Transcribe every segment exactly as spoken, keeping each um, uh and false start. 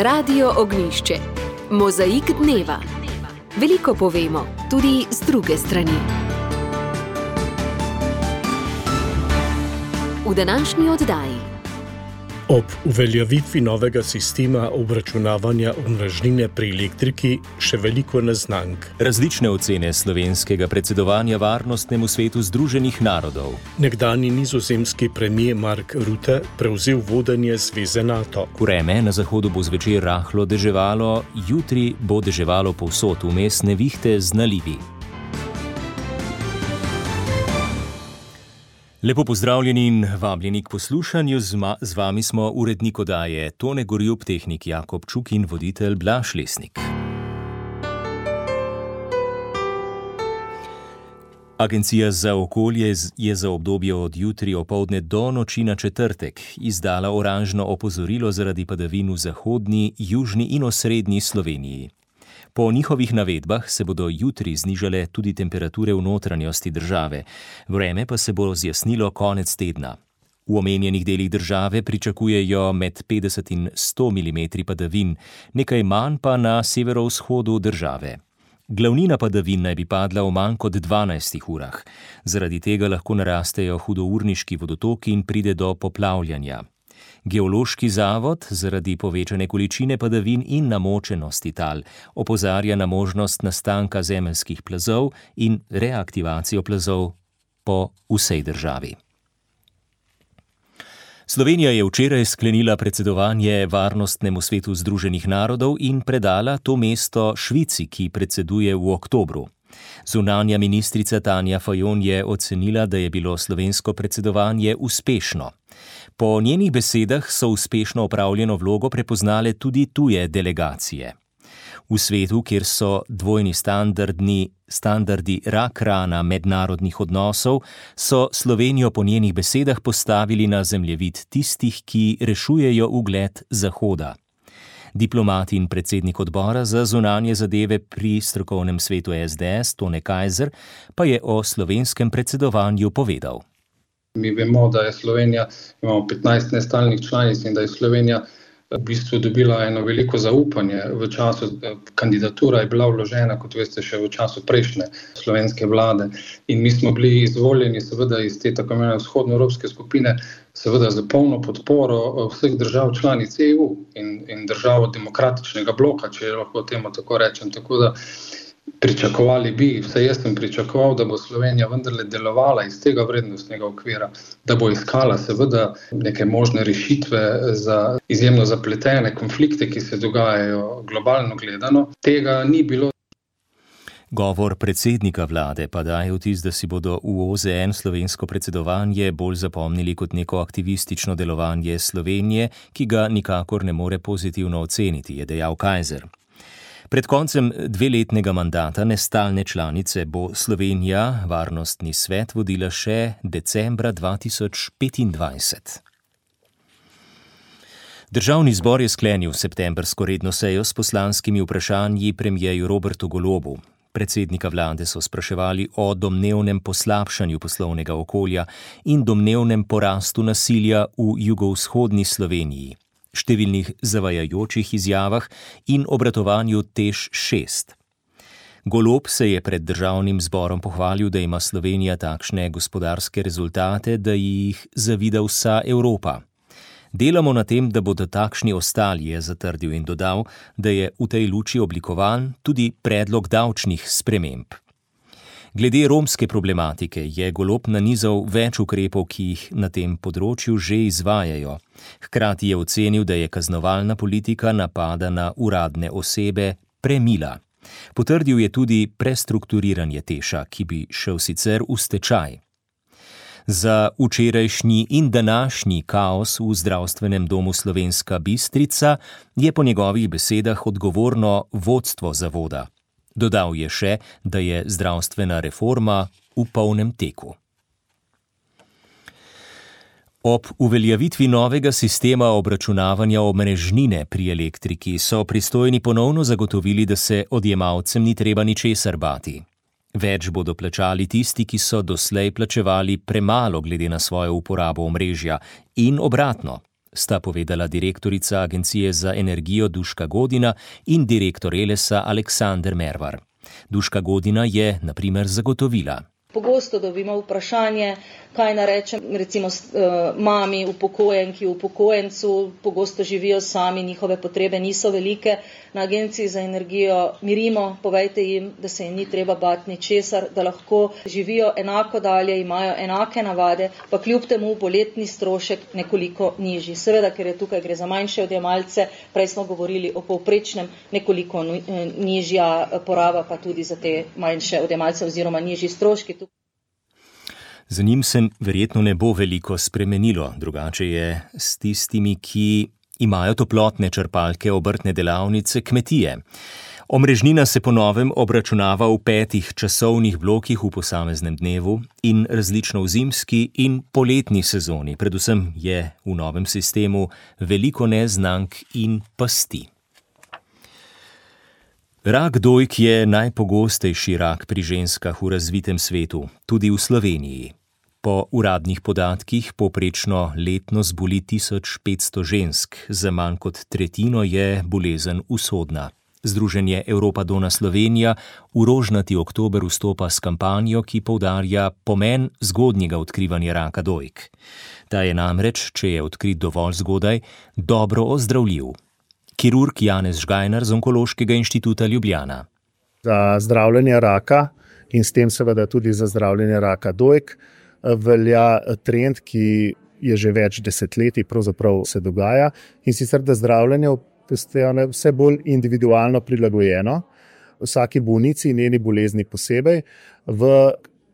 Radio Ognjišče. Mozaik dneva. Veliko povemo, tudi z druge strani. V današnji oddaji. Ob uveljavitvi novega sistema obračunavanja omrežnine pri elektriki še veliko neznank. Različne ocene slovenskega predsedovanja Varnostnemu svetu Združenih narodov. Nekdanji nizozemski premier Mark Rutte prevzel vodenje zveze NATO. Vreme na zahodu bo zvečer rahlo deževalo, jutri bo deževalo povsod, vmes nevihte z nalivi. Lepo pozdravljeni in vabljeni k poslušanju. Z, ma, z vami smo urednik oddaje Tone Gorjup, tehnik Jakob Čuk in voditelj Blaž Lesnik. Agencija za okolje je za obdobje od jutri opoldne do noči na četrtek izdala oranžno opozorilo zaradi padavin v zahodni, južni in osrednji Sloveniji. Po njihovih navedbah se bodo jutri znižale tudi temperature v notranjosti države, vreme pa se bo zjasnilo konec tedna. V omenjenih delih države pričakujejo med petdeset in sto milimetri padavin, nekaj manj pa na severovzhodu države. Glavnina padavin naj bi padla v manj kot dvanajstih urah. Zaradi tega lahko narastejo hudourniški vodotoki in pride do poplavljanja. Geološki zavod zaradi povečane količine padavin in namočenosti tal opozarja na možnost nastanka zemeljskih plazov in reaktivacijo plazov po vsej državi. Slovenija je včeraj sklenila predsedovanje Varnostnemu svetu Združenih narodov in predala to mesto Švici, ki predseduje v oktobru. Zunanja ministrica Tanja Fajon je ocenila, da je bilo slovensko predsedovanje uspešno. Po njenih besedah so uspešno opravljeno vlogo prepoznale tudi tuje delegacije. V svetu, kjer so dvojni standardni standardi rak rana mednarodnih odnosov, so Slovenijo po njenih besedah postavili na zemljevid tistih, ki rešujejo ugled Zahoda. Diplomat in predsednik odbora za zunanje zadeve pri strokovnem svetu S D S, Tone Kajzer, pa je o slovenskem predsedovanju povedal. Mi vemo, da je Slovenija, imamo petnajst nestalnih članic in da je Slovenija v bistvu dobila eno veliko zaupanje v času, kandidatura je bila vložena, kot veste, še v času prejšnje slovenske vlade. In mi smo bili izvoljeni seveda iz te tako imenovane vzhodnoevropske skupine, seveda za polno podporo vseh držav članic E U in, in držav demokratičnega bloka, če lahko temu tako rečem. Tako da pričakovali bi, vsaj jaz sem pričakoval, da bo Slovenija vendarle delovala iz tega vrednostnega okvira, da bo iskala seveda neke možne rešitve za izjemno zapletene konflikte, ki se dogajajo globalno gledano. Tega ni bilo. Govor predsednika vlade pa daje vtis, da si bodo v O Z N slovensko predsedovanje bolj zapomnili kot neko aktivistično delovanje Slovenije, ki ga nikakor ne more pozitivno oceniti, je dejal Kajzer. Pred koncem dveletnega mandata nestalne članice bo Slovenija Varnostni svet vodila še decembra dva tisoč petindvajset. Državni zbor je sklenil septembrsko redno sejo s poslanskimi vprašanji premierju Robertu Golobu. Predsednika vlade so spraševali o domnevnem poslabšanju poslovnega okolja in domnevnem porastu nasilja v jugovzhodni Sloveniji, številnih zavajajočih izjavah in obratovanju T E Š šest. Golob se je pred državnim zborom pohvalil, da ima Slovenija takšne gospodarske rezultate, da jih zavida vsa Evropa. Delamo na tem, da bodo takšni ostali, je zatrdil in dodal, da je v tej luči oblikovan tudi predlog davčnih sprememb. Glede romske problematike je Golob nanizal več ukrepov, ki jih na tem področju že izvajajo. Hkrati je ocenil, da je kaznovalna politika napada na uradne osebe premila. Potrdil je tudi prestrukturiranje Teša, ki bi šel sicer v stečaj. Za včerajšnji in današnji kaos v zdravstvenem domu Slovenska Bistrica je po njegovih besedah odgovorno vodstvo zavoda. Dodal je še, da je zdravstvena reforma v polnem teku. Ob uveljavitvi novega sistema obračunavanja omrežnine pri elektriki so pristojni ponovno zagotovili, da se odjemalcem ni treba ničesar bati. Več bodo plačali tisti, ki so doslej plačevali premalo glede na svojo uporabo omrežja in obratno. sta povedala direktorica Agencije za energijo Duška Godina in direktor Elesa Aleksander Mervar. Duška Godina je, na primer, zagotovila. Pogosto dobimo vprašanje, kaj narečem recimo uh, mami, upokojenki, upokojencu, pogosto živijo sami, njihove potrebe niso velike. Na Agenciji za energijo mirimo, povejte jim, da se jim ni treba bati ničesar, da lahko živijo enako dalje, imajo enake navade, pa kljub temu bo letni strošek nekoliko nižji. Seveda, ker je tukaj gre za manjše odjemalce, prej smo govorili o povprečnem, nekoliko nižja poraba, pa tudi za te manjše odjemalce oziroma nižji stroški. Za njim se verjetno ne bo veliko spremenilo, drugače je s tistimi, ki imajo toplotne črpalke, obrtne delavnice, kmetije. Omrežnina se po novem obračunava v petih časovnih blokih v posameznem dnevu in različno v zimski in poletni sezoni. Predvsem je v novem sistemu veliko neznank in pasti. Rak dojk je najpogostejši rak pri ženskah v razvitem svetu, tudi v Sloveniji. Po uradnih podatkih povprečno letno zboli tisoč petsto žensk, za manj kot tretjino je bolezen usodna. Združenje Europa Donna Slovenija v rožnati oktober vstopa s kampanjo, ki poudarja pomen zgodnjega odkrivanja raka dojk. Ta je namreč, če je odkrit dovolj zgodaj, dobro ozdravljiv. Kirurg Janez Žgajnar z Onkološkega inštituta Ljubljana. Za zdravljenje raka in s tem seveda tudi za zdravljenje raka dojk velja trend, ki je že več desetletij pravzaprav se dogaja, in sicer da zdravljenje postaja vse bolj individualno prilagojeno, vsaki bolnici in njeni bolezni posebej, v,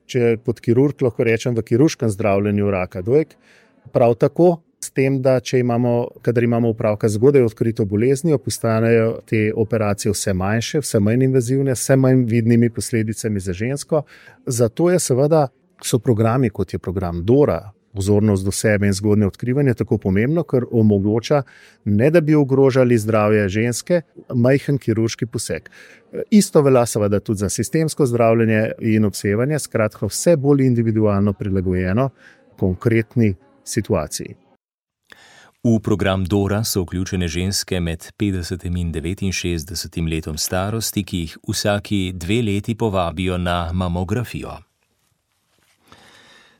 če pod kirurg lahko rečem, v kirurškem zdravljenju raka dojk, prav tako s tem, da če imamo, kadar imamo opravka z zgodaj odkrito boleznijo, postanejo te operacije vse manjše, vse manj invazivne, vse manj vidnimi posledicami za žensko. Zato je seveda, so programi, kot je program Dora, vzornost do sebe in zgodnje odkrivanje, tako pomembno, ker omogoča, ne da bi ogrožali zdravje ženske, majhen kirurški poseg. Isto velja seveda tudi za sistemsko zdravljenje in obsevanje, skratka vse bolj individualno prilagojeno konkretni situaciji. V program Dora so vključene ženske med petdesetim in devetinšestdesetim letom starosti, ki jih vsaki dve leti povabijo na mamografijo.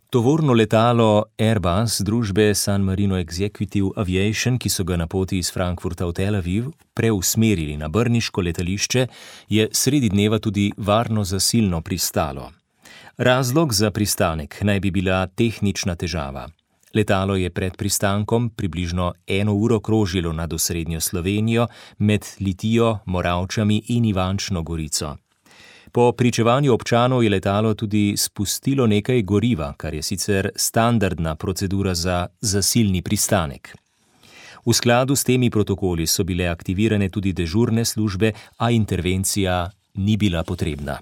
Tovorno letalo Airbus družbe San Marino Executive Aviation, ki so ga na poti iz Frankfurta v Tel Aviv preusmerili na brniško letališče, je sredi dneva tudi varno zasilno pristalo. Razlog za pristanek naj bi bila tehnična težava. Letalo je pred pristankom približno eno uro krožilo nad osrednjo Slovenijo med Litijo, Moravčami in Ivančno Gorico. Po pričevanju občanov je letalo tudi spustilo nekaj goriva, kar je sicer standardna procedura za zasilni pristanek. V skladu s temi protokoli so bile aktivirane tudi dežurne službe, a intervencija ni bila potrebna.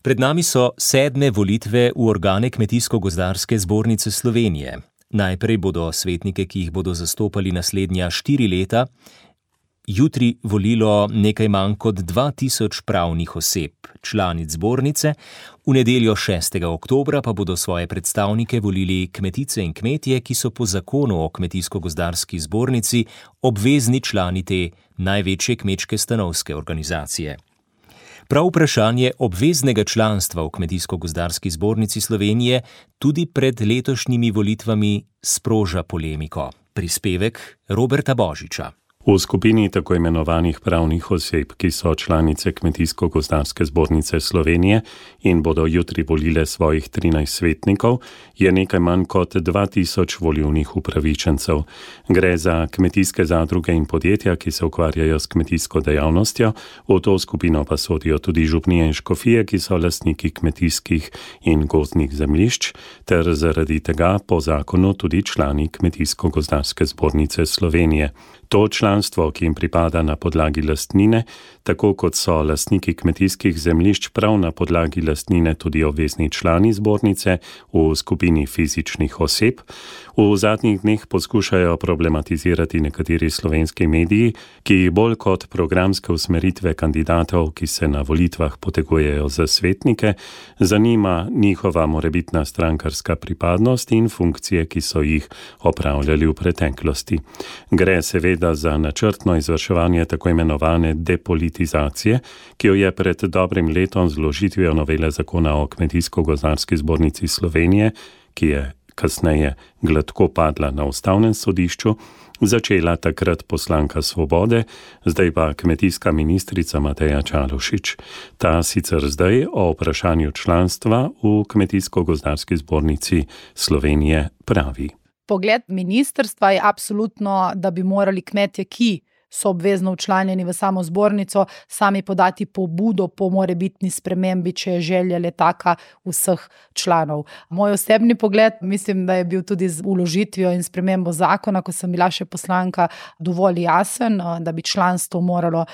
Pred nami so sedme volitve v organe Kmetijsko-gozdarske zbornice Slovenije. Najprej bodo svetnike, ki jih bodo zastopali naslednja štiri leta, jutri volilo nekaj manj kot dva tisoč pravnih oseb, članic zbornice, v nedeljo šestega oktobra pa bodo svoje predstavnike volili kmetice in kmetje, ki so po zakonu o Kmetijsko-gozdarski zbornici obvezni člani te največje kmečke stanovske organizacije. Prav vprašanje obveznega članstva v Kmetijsko-gozdarski zbornici Slovenije tudi pred letošnjimi volitvami sproža polemiko. Prispevek Roberta Božiča. V skupini tako imenovanih pravnih oseb, ki so članice Kmetijsko-gozdarske zbornice Slovenije in bodo jutri volile svojih trinajst svetnikov, je nekaj manj kot dva tisoč volilnih upravičencev. Gre za kmetijske zadruge in podjetja, ki se ukvarjajo s kmetijsko dejavnostjo, v to skupino pa sodijo tudi župnije in škofije, ki so lastniki kmetijskih in gozdnih zemljišč, ter zaradi tega po zakonu tudi člani Kmetijsko-gozdarske zbornice Slovenije. To član članstvo, ki jim pripada na podlagi lastnine, tako kot so lastniki kmetijskih zemljišč prav na podlagi lastnine tudi obvezni člani zbornice v skupini fizičnih oseb, v zadnjih dneh poskušajo problematizirati nekateri slovenski mediji, ki bolj kot programske usmeritve kandidatov, ki se na volitvah potegujejo za svetnike, zanima njihova morebitna strankarska pripadnost in funkcije, ki so jih opravljali v preteklosti. Gre seveda za načrtno izvrševanje tako imenovane depolitizacije, ki jo je pred dobrim letom z vložitvijo novele zakona o Kmetijsko-gozdarski zbornici Slovenije, ki je kasneje gladko padla na ustavnem sodišču, začela takrat poslanka Svobode, zdaj pa kmetijska ministrica Mateja Čalušić. Ta sicer zdaj o vprašanju članstva v Kmetijsko-gozdarski zbornici Slovenije pravi. Pogled ministrstva je absolutno, da bi morali kmetje, ki so obvezno včlanjeni v samo zbornico, sami podati pobudo po morebitni spremembi, če je želja le taka vseh članov. Moj osebni pogled, mislim, da je bil tudi z vložitvijo in spremembo zakona, ko sem bila še poslanka, dovolj jasen, da bi članstvo moralo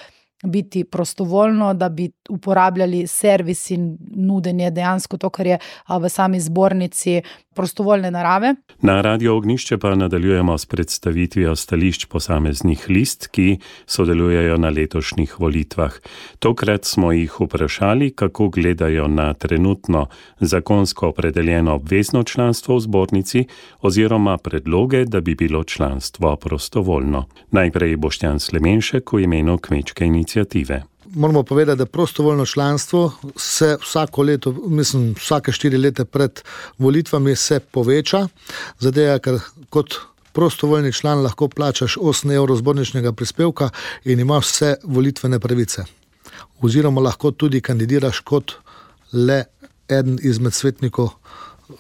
biti prostovoljno, da bi uporabljali servis in nudenje dejansko to, kar je v sami zbornici prostovoljne narave. Na Radio Ognjišče pa nadaljujemo s predstavitvijo stališč posameznih list, ki sodelujejo na letošnjih volitvah. Tokrat smo jih vprašali, kako gledajo na trenutno zakonsko opredeljeno obvezno članstvo v zbornici oziroma predloge, da bi bilo članstvo prostovoljno. Najprej Boštjan Slemenšek v imenu Kmečke iniciative. Moramo povedati, da prostovoljno članstvo se vsako leto, mislim, vsake štiri leta pred volitvami se poveča, zato ker kot prostovoljni član lahko plačaš osem evrov zborničnega prispevka in imaš vse volitvene pravice. Oziroma lahko tudi kandidiraš kot le eden izmed svetnikov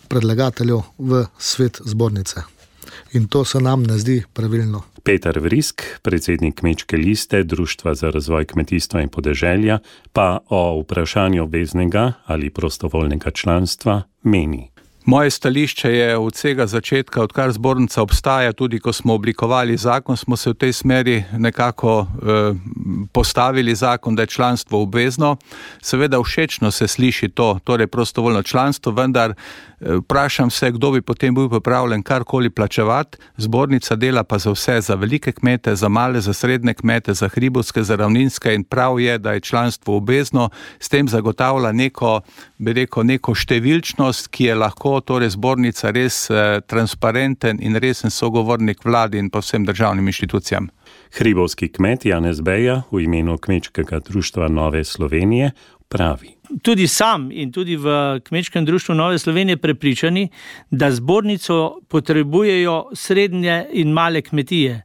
predlagateljev v svet zbornice. In to se nam ne zdi pravilno. Peter Vrisk, predsednik Kmečke liste Društva za razvoj kmetijstva in podeželja, pa o vprašanju obveznega ali prostovoljnega članstva meni. Moje stališče je od vsega začetka, odkar zbornica obstaja, tudi ko smo oblikovali zakon, smo se v tej smeri nekako eh, postavili zakon, da je članstvo obvezno. Seveda všečno se sliši to, torej prostovoljno članstvo, vendar eh, vprašam se, kdo bi potem bil pripravljen karkoli plačevati. Zbornica dela pa za vse, za velike kmete, za male, za srednje kmete, za hribovske, za ravninske in prav je, da je članstvo obvezno. S tem zagotavlja neko, bi rekel, neko številčnost, ki je lahko torej zbornica res eh, transparenten in resen sogovornik vladi in pa vsem državnim inštitucijam. Hribovski kmet Janez Beja v imenu Kmečkega društva Nove Slovenije pravi. Tudi sam in tudi v Kmečkem društvu Nove Slovenije prepričani, da zbornico potrebujejo srednje in male kmetije,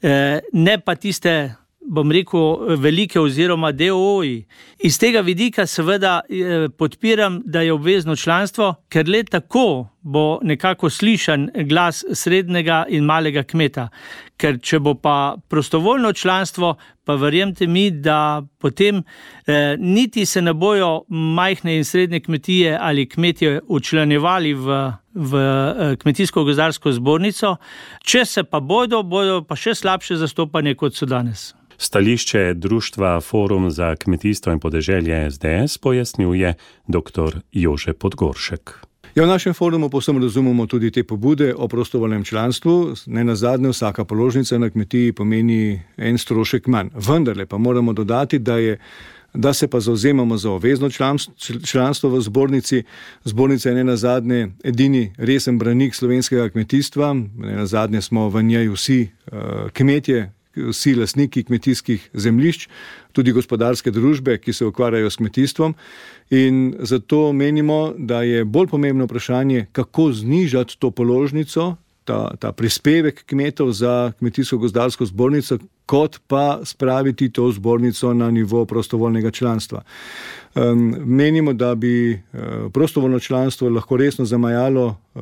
eh, ne pa tiste, bom rekel, velike oziroma D O O-ji. Iz tega vidika seveda podpiram, da je obvezno članstvo, ker le tako bo nekako slišan glas srednjega in malega kmeta. Ker če bo pa prostovoljno članstvo, pa verjemite mi, da potem eh, niti se ne bojo majhne in srednje kmetije ali kmetje učlanjevali v, v eh, Kmetijsko-gozdarsko zbornico, če se pa bodo, bodo pa še slabše zastopanje, kot so danes. Stališče društva Forum za kmetijstvo in podeželje S D S pojasnjuje dr. Jože Podgoršek. Ja, v našem forumu povsem razumemo tudi te pobude o prostovoljnem članstvu. Ne nazadnje, vsaka položnica na kmetiji pomeni en strošek manj. Vendarle pa moramo dodati, da je da se pa zauzemamo za obvezno članstvo v zbornici. Zbornica je ne nazadnje edini resen branik slovenskega kmetijstva. Ne nazadnje smo v njej vsi uh, kmetje, vsi lastniki kmetijskih zemljišč, tudi gospodarske družbe, ki se ukvarjajo s kmetijstvom. In zato menimo, da je bolj pomembno vprašanje, kako znižati to položnico, ta, ta prispevek kmetov za Kmetijsko-gozdarsko zbornico, kot pa spraviti to zbornico na nivo prostovoljnega članstva. Um, menimo, da bi uh, prostovoljno članstvo lahko resno zamajalo uh,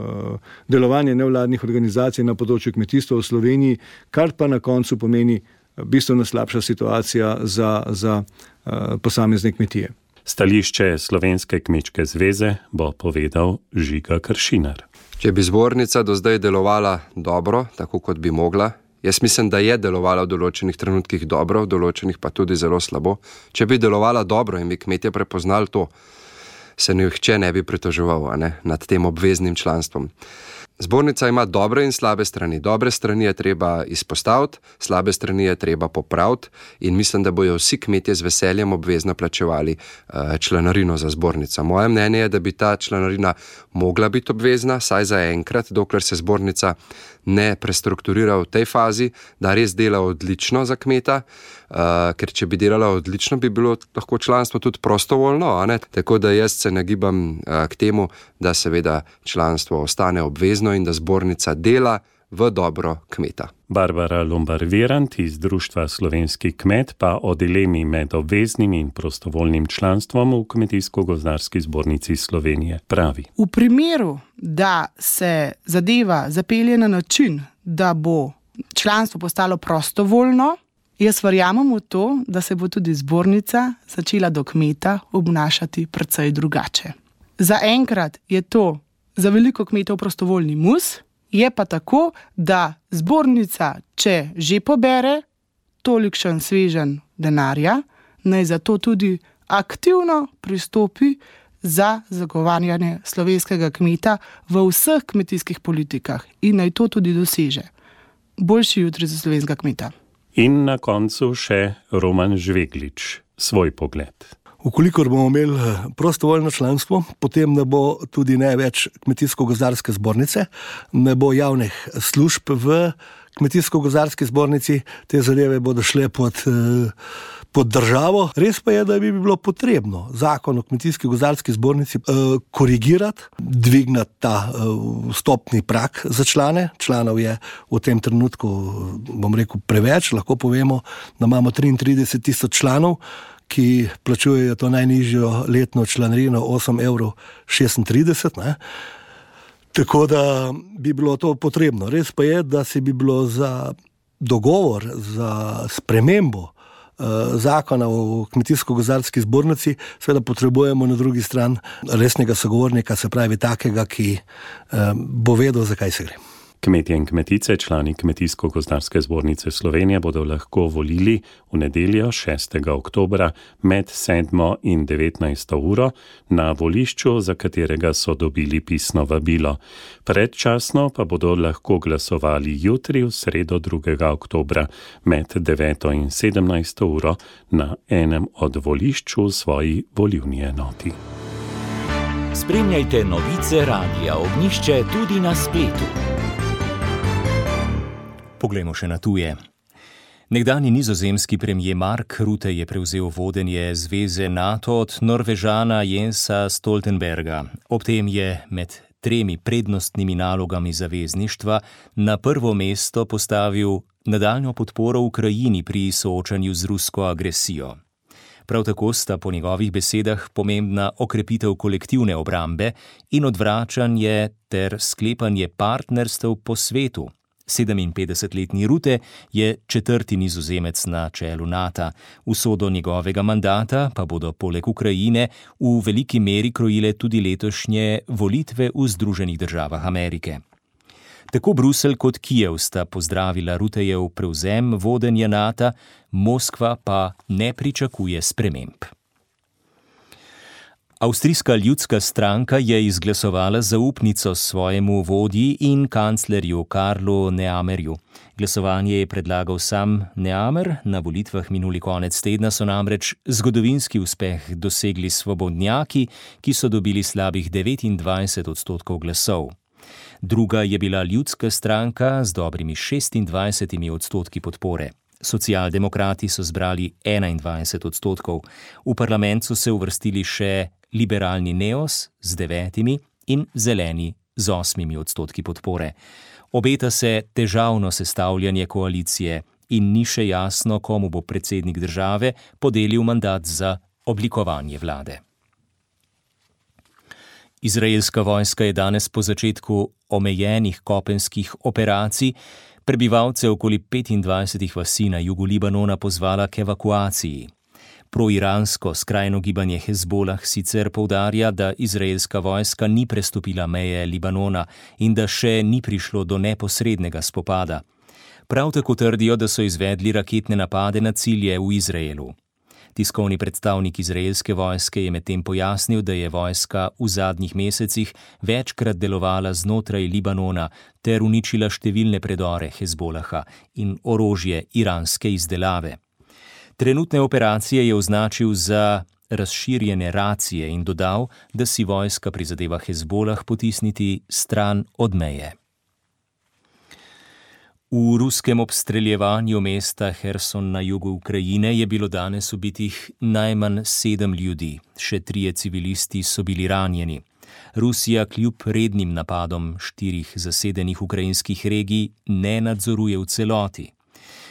delovanje nevladnih organizacij na področju kmetijstva v Sloveniji, kar pa na koncu pomeni bistveno slabša situacija za, za uh, posamezne kmetije. Stališče Slovenske kmečke zveze bo povedal Žiga Kršinar. Če bi zbornica do zdaj delovala dobro, tako kot bi mogla, Jaz mislim, da je delovala v določenih trenutkih dobro, v določenih pa tudi zelo slabo. Če bi delovala dobro in bi kmetje prepoznali to, se nihče ne bi pritoževal, a ne, nad tem obveznim članstvom. Zbornica ima dobre in slabe strani. Dobre strani je treba izpostaviti, slabe strani je treba popraviti in mislim, da bojo vsi kmetje z veseljem obvezno plačevali uh, članarino za zbornico. Moje mnenje je, da bi ta članarina mogla biti obvezna, saj za enkrat, dokler se zbornica ne prestrukturira v tej fazi, da res dela odlično za kmeta, uh, ker če bi delala odlično, bi bilo lahko članstvo tudi prostovoljno, a ne? Tako da jaz se nagibam uh, k temu, da seveda članstvo ostane obvezno in da zbornica dela v dobro kmeta. Barbara Lombar-Virant iz Društva Slovenski kmet pa o dilemi med obveznim in prostovoljnim članstvom v Kmetijsko-gozdarski zbornici Slovenije pravi. V primeru, da se zadeva zapelje na način, da bo članstvo postalo prostovoljno, jaz verjamem v to, da se bo tudi zbornica začela do kmeta obnašati precej drugače. Zaenkrat je to za veliko kmetov prostovoljni mus, je pa tako, da zbornica, če že pobere tolikšen svežen denarja, naj zato tudi aktivno pristopi za zagovarjanje slovenskega kmeta v vseh kmetijskih politikah in naj to tudi doseže. Boljši jutri za slovenskega kmeta. In na koncu še Roman Žveglič, svoj pogled. Ukolikor bomo imeli prostovoljno članstvo, potem ne bo tudi ne več Kmetijsko-gozdarske zbornice, ne bo javnih služb v Kmetijsko-gozdarski zbornici, te zadeve bodo šle pod, pod državo. Res pa je, da bi bilo potrebno zakon o Kmetijsko-gozdarski zbornici korigirati, dvignati ta vstopni prag za člane. Članov je v tem trenutku, bom rekel, preveč, lahko povemo, da imamo triintrideset tisoč članov, ki plačujejo to najnižjo letno članarino osem evrov šestintrideset. Ne? Tako da bi bilo to potrebno. Res pa je, da se bi bilo za dogovor, za spremembo eh, zakona o Kmetijsko-gozdarski zbornici, seveda potrebujemo na drugi strani resnega sogovornika, se pravi takega, ki eh, bo vedel, zakaj se gre. Kmetje in kmetice, člani Kmetijsko-gozdarske zbornice Slovenije, bodo lahko volili v nedeljo šestega oktobra med sedmo in devetnajsto uro na volišču, za katerega so dobili pisno vabilo. Predčasno pa bodo lahko glasovali jutri v sredo drugega oktobra med deveto in sedemnajsto uro na enem od volišč v svoji volilni enoti. Spremljajte novice Radia Ognjišče tudi na spletu. Poglejmo še na tuje. Nekdanji nizozemski premijer Mark Rutte je prevzel vodenje zveze NATO od Norvežana Jensa Stoltenberga. Ob tem je med tremi prednostnimi nalogami zavezništva na prvo mesto postavil nadaljnjo podporo Ukrajini pri soočanju z rusko agresijo. Prav tako sta po njegovih besedah pomembna okrepitev kolektivne obrambe in odvračanje ter sklepanje partnerstev po svetu. sedeminpetdesetletni Rutte je četrti nizozemec na čelu NATO. Usodo njegovega mandata pa bodo poleg Ukrajine v veliki meri krojile tudi letošnje volitve v Združenih državah Amerike. Tako Bruselj kot Kijev sta pozdravila Ruttejev prevzem vodenja NATO, Moskva pa ne pričakuje sprememb. Avstrijska ljudska stranka je izglasovala zaupnico svojemu vodji in kanclerju Karlu Nehammerju. Glasovanje je predlagal sam Nehammer, na volitvah minuli konec tedna so namreč zgodovinski uspeh dosegli svobodnjaki, ki so dobili slabih devetindvajset odstotkov glasov. Druga je bila ljudska stranka z dobrimi šestindvajsetimi odstotki podpore. Socialdemokrati so zbrali enaindvajset odstotkov. V parlament so se uvrstili še liberalni Neos z devetimi in zeleni z osmimi odstotki podpore. Obeta se težavno sestavljanje koalicije in ni še jasno, komu bo predsednik države podelil mandat za oblikovanje vlade. Izraelska vojska je danes po začetku omejenih kopenskih operacij prebivalce okoli petindvajsetih vasi na jugu Libanona pozvala k evakuaciji. Proiransko skrajno gibanje Hezbolah sicer poudarja, da izraelska vojska ni prestopila meje Libanona in da še ni prišlo do neposrednega spopada. Prav tako trdijo, da so izvedli raketne napade na cilje v Izraelu. Tiskovni predstavnik izraelske vojske je medtem pojasnil, da je vojska v zadnjih mesecih večkrat delovala znotraj Libanona ter uničila številne predore Hezbolaha in orožje iranske izdelave. Trenutne operacije je označil za razširjene racije in dodal, da si vojska prizadeva Hezbolah potisniti stran od meje. V ruskem obstreljevanju mesta Herson na jugu Ukrajine je bilo danes ubitih najmanj sedem ljudi, še trije civilisti so bili ranjeni. Rusija kljub rednim napadom štirih zasedenih ukrajinskih regij ne nadzoruje v celoti.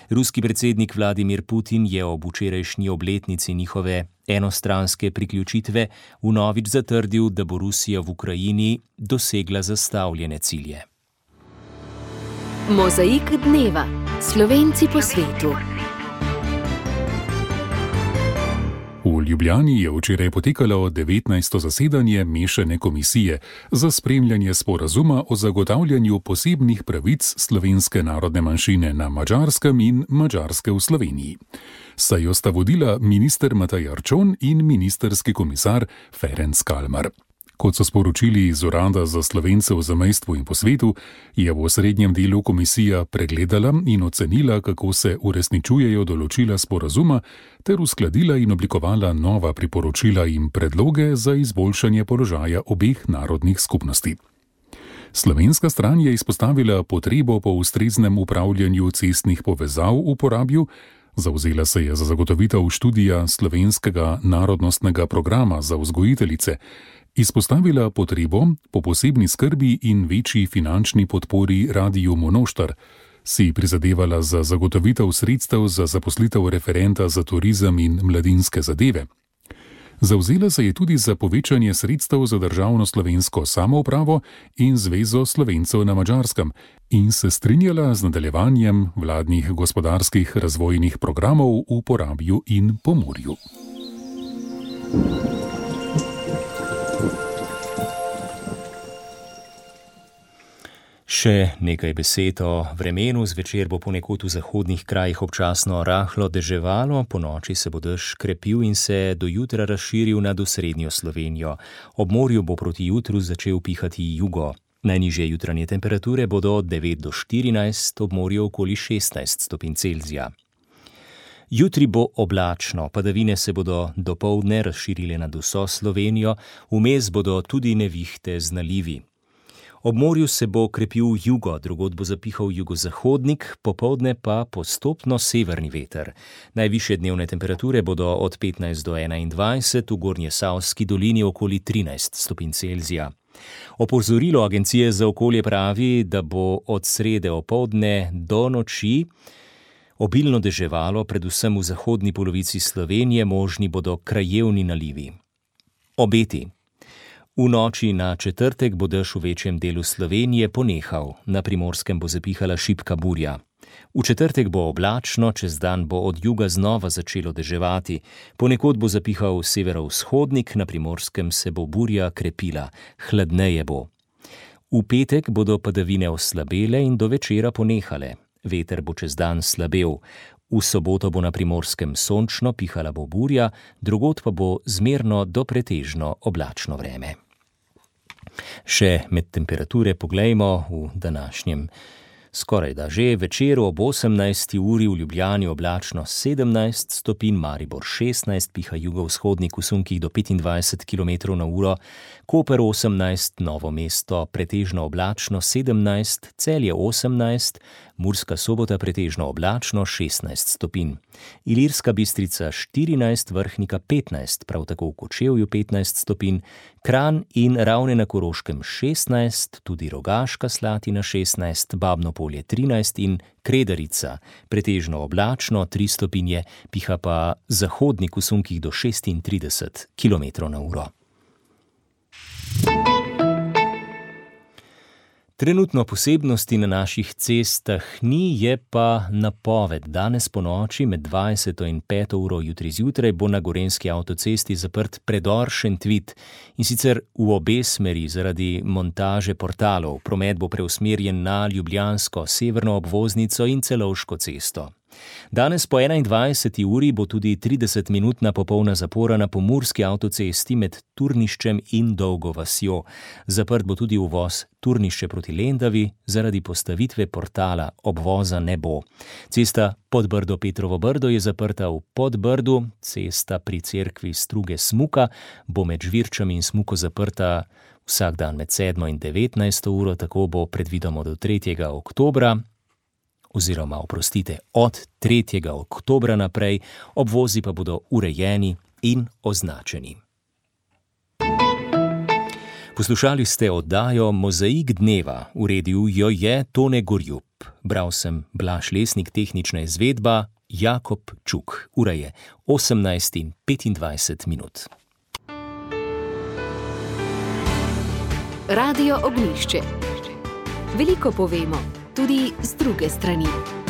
Ruski predsednik Vladimir Putin je ob včerajšnji obletnici njihove enostranske priključitve vnovič zatrdil, da bo Rusija v Ukrajini dosegla zastavljene cilje. Mozaik dneva. Slovenci po svetu. V Ljubljani je včeraj potekalo devetnajsto zasedanje mešane komisije za spremljanje sporazuma o zagotavljanju posebnih pravic slovenske narodne manjšine na Madžarskem in Madžarske v Sloveniji. Sejo sta vodila minister Matej Arčon in ministerski komisar Ferenc Kalmar. Kot so sporočili iz Urada za Slovence v zamejstvu in po svetu, je v osrednjem delu komisija pregledala in ocenila, kako se uresničujejo določila sporazuma, ter uskladila in oblikovala nova priporočila in predloge za izboljšanje položaja obeh narodnih skupnosti. Slovenska stran je izpostavila potrebo po ustreznem upravljanju cestnih povezav v Porabju, zavzela se je za zagotovitev študija slovenskega narodnostnega programa za vzgojiteljice, izpostavila potrebo po posebni skrbi in večji finančni podpori Radiu Monoštar, si prizadevala za zagotovitev sredstev za zaposlitev referenta za turizem in mladinske zadeve. Zavzela se je tudi za povečanje sredstev za državno slovensko samoupravo in Zvezo Slovencev na Madžarskem in se strinjala z nadaljevanjem vladnih gospodarskih razvojnih programov v Porabju in Pomurju. Še nekaj besed o vremenu. Zvečer bo ponekod v zahodnih krajih občasno rahlo deževalo, ponoči se bo dež krepil in se do jutra razširil nad osrednjo Slovenijo. Ob morju bo proti jutru začel pihati jugo. Najnižje jutranje temperature bodo od devet do štirinajst, ob morju okoli šestnajst stopinj Celzija. Jutri bo oblačno, padavine se bodo dopoldne razširile nad vso Slovenijo, vmes bodo tudi nevihte z nalivi. Ob morju se bo krepil jugo, drugod bo zapihal jugozahodnik, popoldne pa postopno severni veter. Najvišje dnevne temperature bodo od petnajst do enaindvajset, v Gornjesavski dolini okoli trinajst stopinj Celzija. Opozorilo Agencije za okolje pravi, da bo od srede opoldne do noči obilno deževalo, predvsem v zahodni polovici Slovenije, možni bodo krajevni nalivi. Obeti. V noči na četrtek bo dež v večjem delu Slovenije ponehal, na Primorskem bo zapihala šibka burja. V četrtek bo oblačno, čez dan bo od juga znova začelo deževati. Ponekod bo zapihal severovzhodnik, na Primorskem se bo burja krepila, hladneje bo. V petek bodo padavine oslabele in do večera ponehale. Veter bo čez dan slabel. V soboto bo na Primorskem sončno, pihala bo burja, drugod pa bo zmerno do pretežno oblačno vreme. Še med temperature poglejmo v današnjem skoraj da že večeru ob osemnajsti uri v Ljubljani oblačno sedemnajst stopinj, Maribor šestnajst, piha jugovzhodnik v sunkih do petindvajset kilometrov na uro, Koper osemnajst, Novo mesto pretežno oblačno sedemnajst, Celje osemnajst, Murska Sobota pretežno oblačno šestnajst stopinj, Ilirska Bistrica štirinajst, Vrhnika petnajst, prav tako v Kočevju petnajst stopinj, Kranj in Ravne na Koroškem šestnajst, tudi Rogaška Slatina šestnajst, Babno Polje trinajst in Kredarica pretežno oblačno tri stopinje, piha pa zahodnik v sunkih do šestintrideset kilometrov na uro. Trenutno posebnosti na naših cestah ni, je pa napoved. Danes po noči med dvajseto in peto uro jutri zjutraj bo na gorenjski avtocesti zaprt predor Šentvid in sicer v obe smeri zaradi montaže portalov. Promet bo preusmerjen na ljubljansko severno obvoznico in Celovško cesto. Danes po enaindvajseti uri bo tudi tridesetminutna popolna zapora na pomurski avtocesti med Turniščem in Dolgo vasjo. Zaprt bo tudi uvoz Turnišče proti Lendavi, zaradi postavitve portala obvoza ne bo. Cesta Podbrdo-Petrovo Brdo je zaprta v Podbrdu, cesta pri cerkvi Struge Smuka bo med Žvirčami in Smuko zaprta vsak dan med sedmo in devetnajsto uro, tako bo predvidoma do tretjega oktobra. Oziroma, oprostite, od tretjega oktobra naprej, obvozi pa bodo urejeni in označeni. Poslušali ste oddajo Mozaik dneva, uredil jo je Tone Gorjup. Bral sem Blaž Lesnik, tehnična izvedba Jakob Čuk. Ura je osemnajst in petindvajset minut. Radio Ognjišče. Veliko povemo, tudi z druge strani.